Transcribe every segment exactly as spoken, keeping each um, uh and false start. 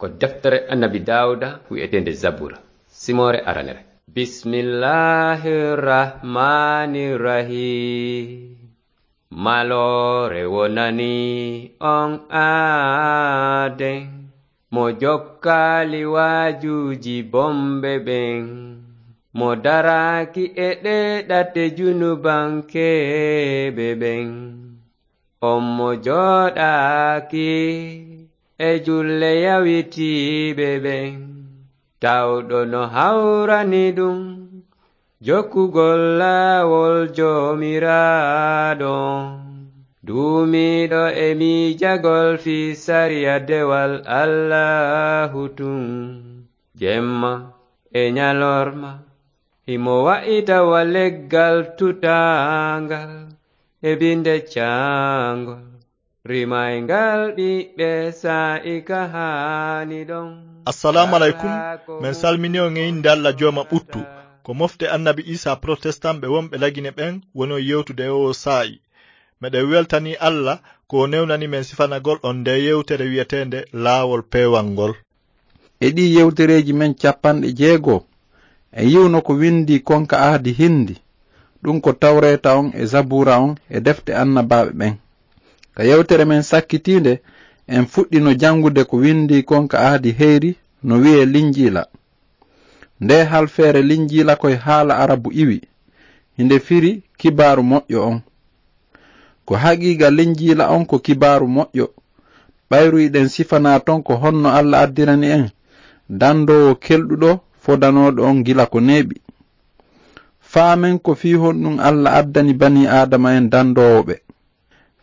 Ko deftere Annabi Daawuda wi'eteende Zabura, simoore aranere. Bismillahir Rahmanir Rahim. Maloore wonani on aaden, mo jokkaali waajuuji bonɓe ɓen, mo daraaki e ɗee ɗate junubankeeɓe ɓen. On mo jooɗaaki e julle yawitiiɓe ɓen, tawɗo no hawrani ɗum jokkugol laawol Joomiraaɗo, duumiiɗo e miijagol fii sariya dewal Allaahu tun, jemma e ñalorma. Himo wa'ita wa leggal tutaangal e binde caangol, rimayngal ɓiɓɓe saa'i ka haani ɗon. Assalaamu aleykum. Men salmini on e innde Alla Jooma ɓuttu. Ko mofte Annabi Iisaa Protestant ɓe wonɓe Lagine ɓen woni on yewtude e oo saa'i. Meɗen weltanii Alla ko o newnani men sifanagol on ndee yewtere wi'eteende Laawol Peewal ngol. E ɗii yewtereeji men cappanɗe jeego, en yi'uno ko winndii kon ka Ahdi Hindi, ɗum ko Tawreeta on e Zabuura on e defte annabaaɓe ɓen. Ka yewtere men sakkitiinde, en fuɗɗino janngude ko winndii kon ka Ahdi Heyri, no wi'ee Linjiila. Ndee halfeere Linjiila ko e haala Arabu iwi, hinde firi Kibaaru Moƴƴo on. Ko haqiiqa Linjiila on ko Kibaaru Moƴƴo, ɓayru hiɗen sifanaa ton ko honno Alla addirani en dandoowo kelɗuɗo fodanooɗo on gila ko neeɓi. Faamen ko fii honɗum Alla addani banii Aadama en dandoowo ɓe.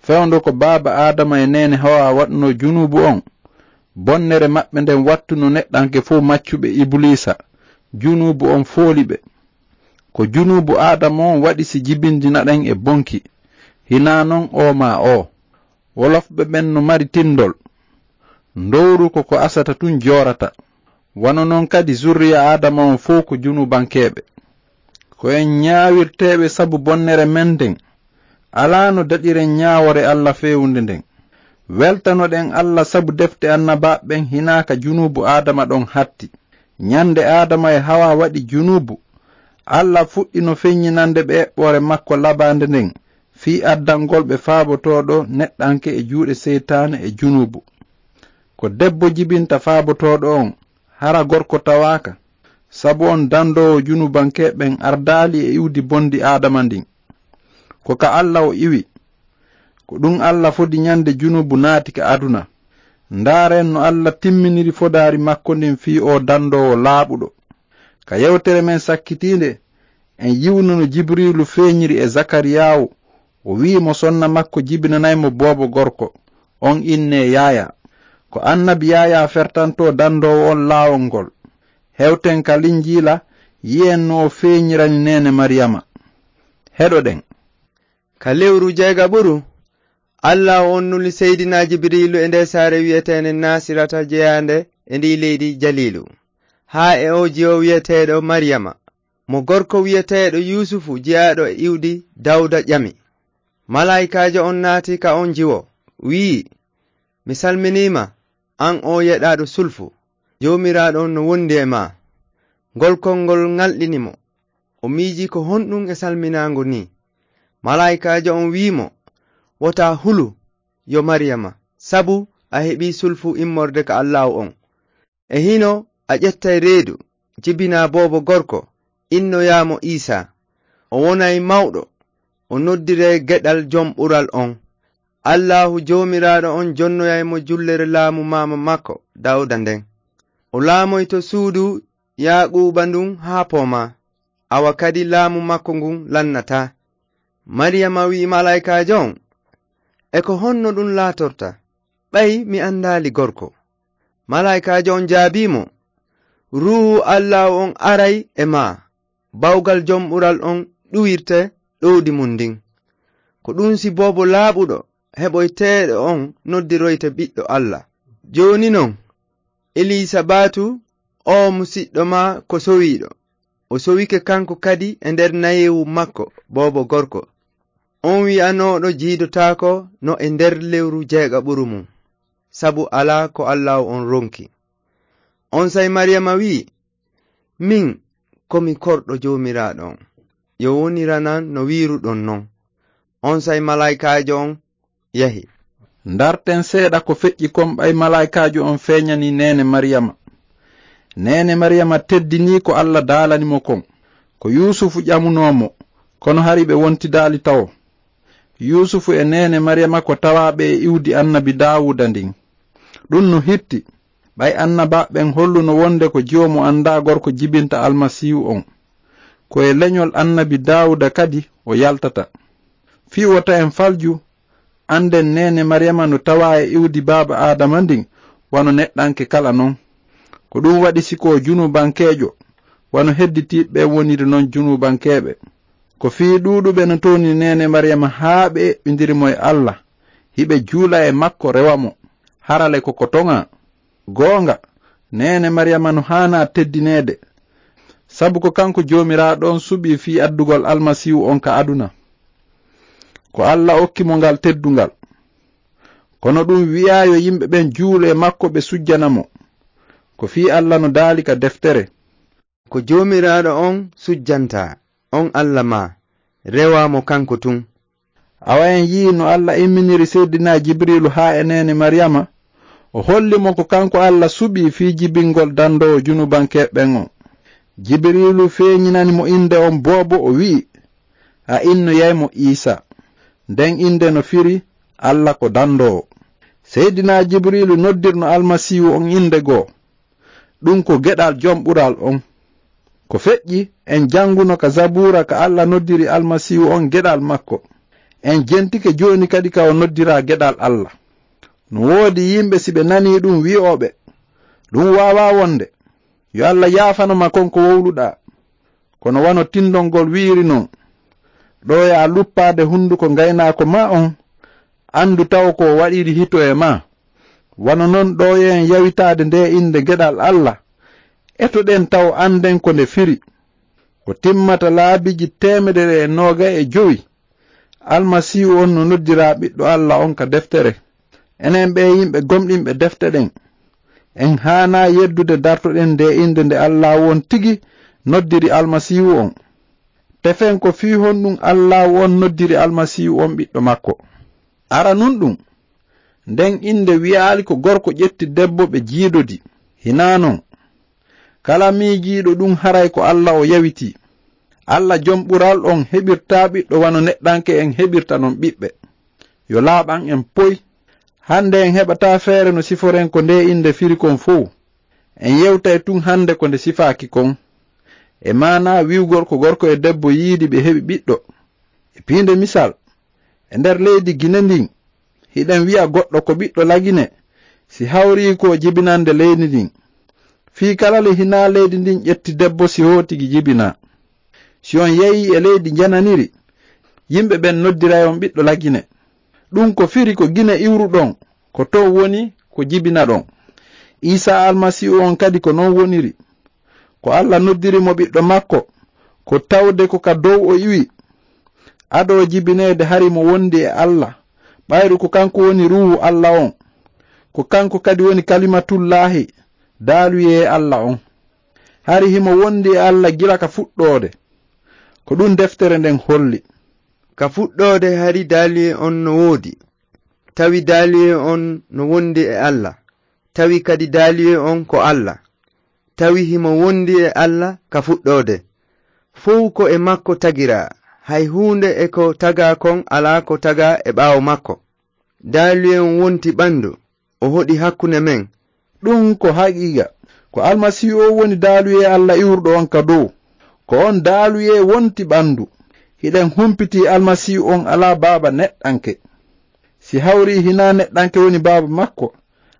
Fewndo ko baaba Aadama e neene Hawaa waɗunoo junuubu on, bonnere maɓɓe nden wattuno neɗɗanke fow maccuɓe Ibuliisa, junuubu on fooli ɓe. Ko junuubu Aadama on waɗi si jibindinaɗen e bonki, hinaa non oo maa oo. Wolofɓe ɓen no mari tinndol. Ndowru ko ko asata tun joorata. Wano non kadi zurriya Aadama on fow ko junuubankeeɓe. Ko en ñaawirteeɓe sabu bonnere men nden. Alaa no daɗiren ñaawoore Alla feewunde nden. Weltanoɗen Alla sabu defte annabaaɓe ɓen hinaa ka junuubu Aadama ɗon hatti. Ñande Aadama e Hawaa waɗi junuubu, Alla fuɗɗino feññinande ɓe eɓɓoore makko labaande nden fii addangol ɓe faabotooɗo neɗɗanke e juuɗe seytaane e junuubu. Ko debbo jibinta faabotooɗo on, hara gorko tawaaka, sabu on dandoowo junubankeeɓe ɓen ardaali e iwdi bondi Aadama ndin. Ko ka Alla o iwi. Ko ɗum Alla fodi ñande junubu naati ka aduna. Ndaaren no Alla timminiri fodaari makko ndin fii oo dandoowo laaɓuɗo. Ka yewtere men sakkitiinde, en yi'uno no Jibriilu feeñiri e Zakariyaawu, o wi'i mo sonna makko jibinanay mo boobo gorko, on innee Yaayaa. Ko annabi Yaayaa fertantoo dandoowo on laawol ngol. Hewten ka Linjiila, yi'en no o feeñirani neene Mariyama. Heɗoɗen. Ka lewru jeegaɓuru, Alla on nuli Seydina Jibriilu e nder saare wi'eteende Naasirata jeyaande e ndi leydi Jaliilu, haa e oo jiwo wi'eteeɗo Mariyama, mo gorko wi'eteeɗo Yuusufu jeyaaɗo e iwdi Dawda ƴami. Malaa'ikaajo on naati ka on jiwo, wi'i, "Mi salminii ma, an oo yeɗaaɗo sulfu, Joomiraaɗo on no wondi e maa." Ngol konngol ŋalɗini mo. O miijii ko honɗum e salminaango nii. Malaa'ikaajo on wi'i mo, "Wota hulu, yo Mariyama, sabu a heɓii sulfu immorde ka Allaahu on. E hino a ƴettay reedu, jibinaa boobo gorko, innoyaa mo Iisaa. O wonay mawɗo, o noddiree geɗal Jom Ɓural on. Allaahu Joomiraaɗo on jonnoyay mo jullere laamu maama makko Dawda nden. O laamoyto suudu Yaaquuba ndun haa poomaa, awa kadi laamu makko ngun lannataa." Mariyama wi'i malaa'ikaajo on, "E ko honno ɗum laatorta? Ɓay mi andaali gorko." Malaa'ikaajo on jaabii mo, "Ruuhu Allaahu on aray e maa, bawgal Jom Ɓural on ɗuwirte ɗowdi mun ndin. Ko ɗum si boobo laaɓuɗo heɓoyteeɗo on noddiroyte ɓiɗɗo Alla. Jooni non, Elisabaatu, oo musiɗɗo maa ko sowiiɗo. O sowike kanko kadi e nder nayewu makko, boobo gorko. On wi'anooɗo jiidotaako no e nder lewru jeegaɓuru mum, sabu alaa ko Allaahu on ronki." Onsay Mariyama wi'i, "Min, ko mi korɗo Joomiraaɗo on. Yo woniranan no wi'iruɗon non." Onsay malaa'ikaajo on yahi. Ndarten seeɗa ko feƴƴi kon ɓay malaa'ikaajo on feeñanii neene Mariyama. Neene Mariyama teddinii ko Alla daalani mo kon. Ko Yuusufu ƴamunoo mo, kono hari ɓe wontidaali tawo. Yuusufu e neene Mariyama ko tawaaɓe e iwdi annabi Daawuda ndin. Ɗun no hitti, ɓay annabaaɓe ɓen holluno wonde ko jiwo mo anndaa gorko jibinta Almasiihu on. Ko e leñol annabi Daawuda kadi o yaltata. Fii wota en falju, annden neene Mariyama no tawaa e iwdi baaba Aadama ndin wano neɗɗanke kala non. Ko ɗun waɗi si ko junubankeejo, wano hedditiiɓe ɓen woniri non junubankeeɓe. Ko fii ɗuuɗuɓe no towni neene Mariyama haa ɓe eɓɓindiri mo e Alla, hiɓe juula e makko rewa mo. Hara le ko ko toŋaa. Goonga, neene Mariyama no haanaa teddineede, sabu ko kanko Joomiraaɗo on suɓii fii addugol Almasiihu on ka aduna. Ko Alla okki mo ngal teddungal. Kono ɗun wi'aa yo yimɓe ɓen juulu e makko ɓe sujjana mo. Ko fii Alla no daali ka deftere. Ko Joomiraaɗo on sujjantaa, on Alla maa, rewaa mo kanko tun. Awa en yi'ii no Alla imminiri Seydinaa Jibriilu haa e neene Mariyama, o holli mo ko kanko Alla suɓii fii jibingol dandoowo junubankeeɓe ɓen on. Jibriilu feeñinani mo innde on boobo, o wi'i, "A innoyay mo Iisaa." Nden innde no firi, "Alla ko dandoowo." Seydinaa Jibriilu noddirno Almasiihu on innde goo. Ɗun ko geɗal Jom Ɓural on. Ko feƴƴi, en janguno ka Zabuura ka Alla noddiri Almasiihu on geɗal makko. En jentike jooni kadi ka o noddiraa geɗal Alla. No woodi yimɓe, si ɓe nanii ɗun, wi'ooɓe, "Ɗun waawaa wonde. Yo Alla yaafano ma kon ko wowluɗaa." Kono wano tindol ngol wi'iri non, "Ɗooyaa luppaade hunduko ngaynaako maa on, andu taw ko o waɗiri hito e maa." Wano non ɗooyee en yawitaade ndee innde geɗal Alla, etoɗen taw annden ko nde firi. Ko timmata laabiiji teemedere e noogay e jowi, Almasiihu on no noddiraa Ɓiɗɗo Alla on ka deftere. Enen ɓee yimɓe gomɗinɓe defte ɗen, en haanaa yeddude dartoɗen ndee innde nde Allaahu on tigi noddiri Almasiihu on. Tefen ko fii honɗun Allaahu on noddiri Almasiihu on Ɓiɗɗo makko. Aranun ɗun, nden innde wi'aali ko gorko ƴetti debbo ɓe jiidodi. Hinaa non. Kala miijiiɗo ɗun haray ko Alla o yawitii. Alla Jom Ɓural on heɓirtaa ɓiɗɗo wano neɗɗanke en heɓirta non ɓiɓɓe. Yo laaɓan en poy. Hande en heɓataa feere no siforen ko ndee innde firi kon fow. En yewtay tun hande ko nde sifaaki kon. E maanaa wi'ugol ko gorko e debbo yiidi ɓe heɓi ɓiɗɗo. E piinde misal, e nder leydi Gine ndin, hiɗen wi'a goɗɗo ko ɓiɗɗo Lagine, si hawrii ko jibinande leydi ndin. Fii kala le hinaa leydi ndin ƴetti debbo si hootigi jibinaa. Si on yeyii e leydi njananiri, yimɓe ɓen noddiray on ɓiɗɗo Lagine. Ɗun ko firi ko Gine iwruɗon, ko ton woni ko jibinaɗon. Iisaa Almasiihu on kadi ko non woniri. Ko Alla noddiri mo ɓiɗɗo makko, ko tawde ko ka dow o iwi. Adoo jibineede hari mo wondi e Alla, ɓayru ko kanko woni Ruuhu Alla on. Ko kanko kadi woni Kalimatullaahi, daaluyee Alla on. Hari himo wondi e Alla gila ka fuɗɗoode. Ko ɗun deftere nden holli. Ka fuɗɗoode hari daaluyee on no woodi. Tawi daaluyee on no wondi e Alla. Tawi kadi daaluyee on ko Alla. Tawi himo wondi e Alla ka fuɗɗoode. Fow ko e makko tagiraa, hay huunde e ko tagaa kon alaa ko tagaa e ɓaawo makko. Daaluyee on wonti ɓandu, o hoɗi hakkunde men. Ɗun ko haqiiqa. Ko Almasiihu on woni daaluyee Alla iwruɗo on ka dow. Ko on daaluyee wonti ɓandu. Hiɗen humpitii Almasiihu on alaa baaba neɗɗanke. Si hawrii hinaa neɗɗanke woni baaba makko,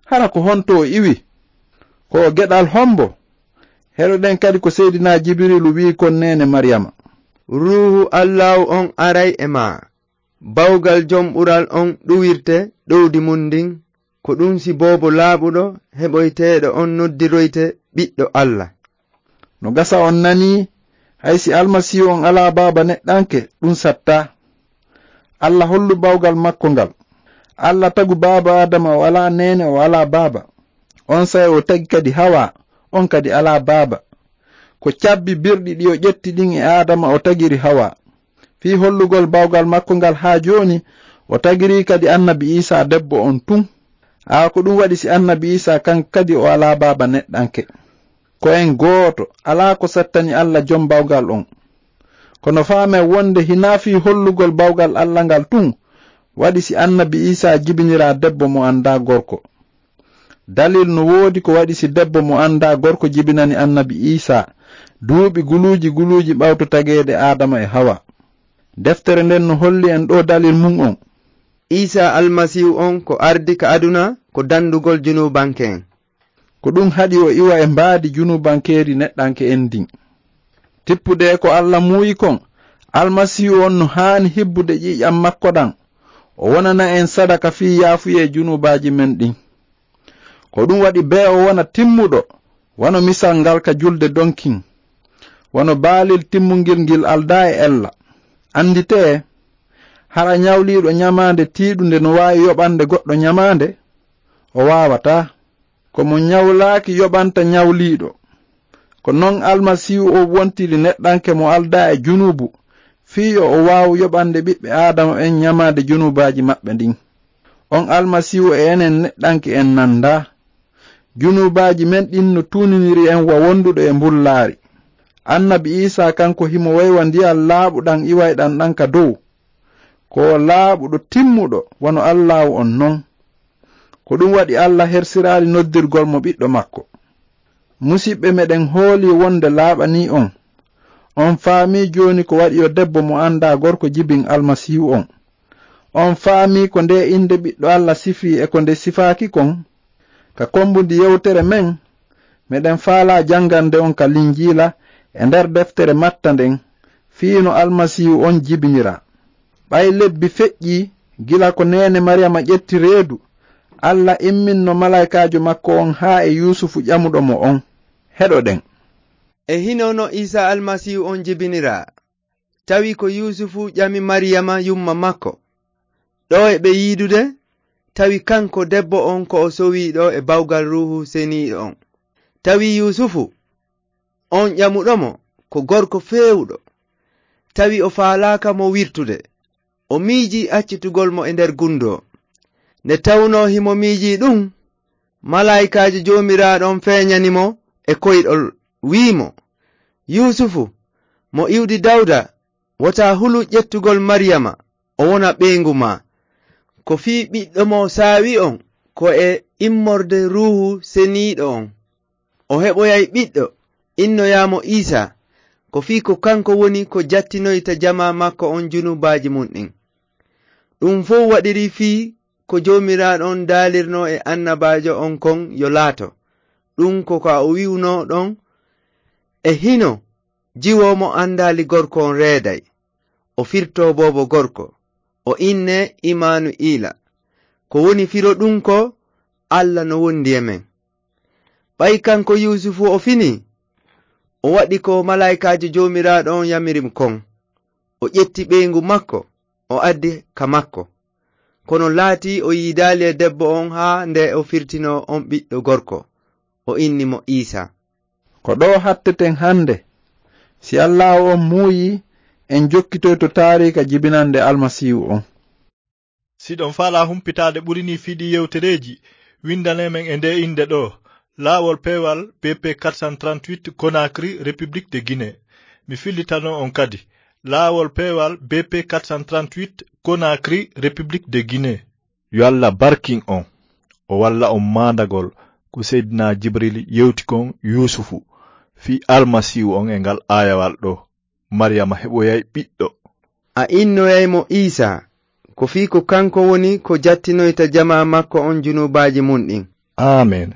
hara ko honto o iwi? Ko o geɗal hombo? Heɗoɗen kadi ko Seydinaa Jibriilu wi'i kon neene Mariyama. Ruuhu Allaahu on aray e maa. Bawgal Jom Ɓural on ɗuwirte ɗowdi mun ndin, ko ɗun si boobo laaɓuɗo heɓoyteeɗo on noddiroyte ɓiɗɗo Alla. No gasa on nanii, hay si Almasiihu on alaa baaba neɗɗanke, ɗun sattaa. Alla hollu bawgal makko ngal. Alla tagu baaba Aadama o alaa neene, o alaa baaba. Onsay o tagi kadi Hawaa, on kadi alaa baaba. Ko cabbi birɗi ɗi o ƴetti ɗin e Aadama o tagiri Hawa. Fii hollugol bawgal makko ngal haa jooni, o tagiri kadi annabi Iisaa debbo on tun. Aa, ko ɗum waɗi si annabi Iisaa kan kadi o alaa baaba neɗɗanke. Ko en gooto, alaa ko sattani Alla jom bawgal on. Kono faamen wonde hinaa fii hollugol bawgal Alla ngal tun, waɗi si annabi Iisaa jibiniraa debbo mo anndaa gorko. Dalil no woodi ko waɗi si debbo mo anndaa gorko jibinani annabi Iisaa, duuɓi guluuji guluuji ɓawto tageede Aadama e Hawa. Deftere nden no holli en ɗoo dalil mun on. Iisaa Almasiihu on ko ardi ka aduna ko dandugol junuubanke en. Ko ɗum haɗi o iwa e mbaadi junuubankeeri neɗɗanke en ndin. Tippude e ko Alla muuyi kon, Almasiihu on no haani hibbude ƴiiƴan makko ɗan, o wonana en sadaka fii yaafuyee junuubaaji men ɗin. Ko ɗum waɗi bee o wona timmuɗo, wano misal ngal ka julde donkin, wano baalil timmungil ngil aldaa e ella. Annditee, hara ɲawliiɗo ɲamaande tiiɗunde no waawi yoɓande goɗɗo ɲamaande? O waawataa. Ko mo ɲawlaaki yoɓanta ɲawliiɗo. Ko non Almasiihu on wontiri neɗɗanke mo aldaa e junuubu, fii yo o waawu yoɓande ɓiɓɓe Aadama ɓen ɲamaande junuubaaji maɓɓe ɗin. On Almasiihu e enen neɗɗanke en nanndaa. Junuubaaji men ɗin no tuuniniri en wa wonduɗo e mbullaari. Annabi Iisaa kanko himo waywa ndiyan laaɓuɗan iwayɗan ɗan ka dow. Ko o laaɓuɗo timmuɗo wano Allaahu on non. Ko ɗum waɗi Alla hersiraali noddirgol mo ɓiɗɗo makko. Musiɓɓe, meɗen hoolii wonde laaɓanii on. On faamii jooni ko waɗi yo debbo mo anndaa gorko jibin Almasiihu on. On faamii ko ndee innde Ɓiɗɗo Alla sifii e ko nde sifaaki kon? Ka kommbundi yewtere men, meɗen faalaa janngande on ka Linjiila e nder deftere Matta nden, fii no Almasiihu on jibiniraa. Ɓay lebbi feƴƴii gila ko neene Mariyama ƴetti reedu, Alla imminno malaykaajo makko on haa e Yuusufu ƴamuɗo mo on. Heɗoɗen. E hino no Iisaa Almasiihu on jibiniraa. Tawi ko Yuusufu ƴami Mariyama yumma makko, ɗo e ɓe yiidude, tawi kanko debbo on ko o sowii ɗo e bawgal Ruuhu Seniiɗo on. Tawi Yuusufu, on ƴamuɗo mo, ko gorko feewuɗo. Tawi o faalaaka mo wirtude. O miijii accitugol mo e nder gundoo. Nde tawnoo himo miijii ɗum, malaa'ikaajo Joomiraaɗo on feeñani mo e koyɗol, wi'i mo, "Yuusufu, mo iwdi Dawda, wota hulu ƴettugol Mariyama, o wona ɓeyngu maa. Ko fii ɓiɗɗo mo saawi on, ko e immorde Ruuhu Seniiɗo on. O heɓoyay ɓiɗɗo, innoyaa mo Iisaa, ko fii ko kanko woni ko jattinoyta jamaa makko on junubaaji mun ɗin." Ɗum fow waɗiri fii ko Joomiraaɗo on daalirnoo e annabaajo on kon yo laato. Ɗum ko ka o wi'unoo ɗon, "E hino jiwo mo andaali gorko on reeday, o firtoo boobo gorko, o innee Imanu'iila." Ko woni firo ɗum ko, "Alla no wondi e men." Ɓay kanko Yuusufu o finii, o waɗi ko malaa'ikaajo Joomiraaɗo on yamiri mo kon. O ƴetti ɓeyngu makko, o addi ka makko. Kono laatii o yiidaali e debbo on haa nde o firtinoo on ɓiɗɗo gorko. O inni mo Iisaa. Ko ɗoo hatteten hannde. Si Allaahu on muuyii, en jokkitoyto taariika jibinannde Almasiihu on. Siɗon faalaa humpitaade ɓuri nii fii ɗii yewtereeji, winndanee men e ndee innde ɗoo, Laawol Peewal, B P quatre cent trente-huit, Conakry, République de Guinée. Mi fillitanoo on kadi, Laawol Peewal, B P quatre cent trente-huit, Conakry, République de Guinée. Yo Alla barkin on, o walla on maandagol ko Seydina Jibril yewti kon Yuusufu fii Almasiihu on e ngal aayawal ɗoo, "Mariyama heɓoyay ɓiɗɗo." A innoyay mo Iisaa, ko fii ko kanko woni ko jattinoyta jamaa makko on junubaaji mun ɗin. Aamen.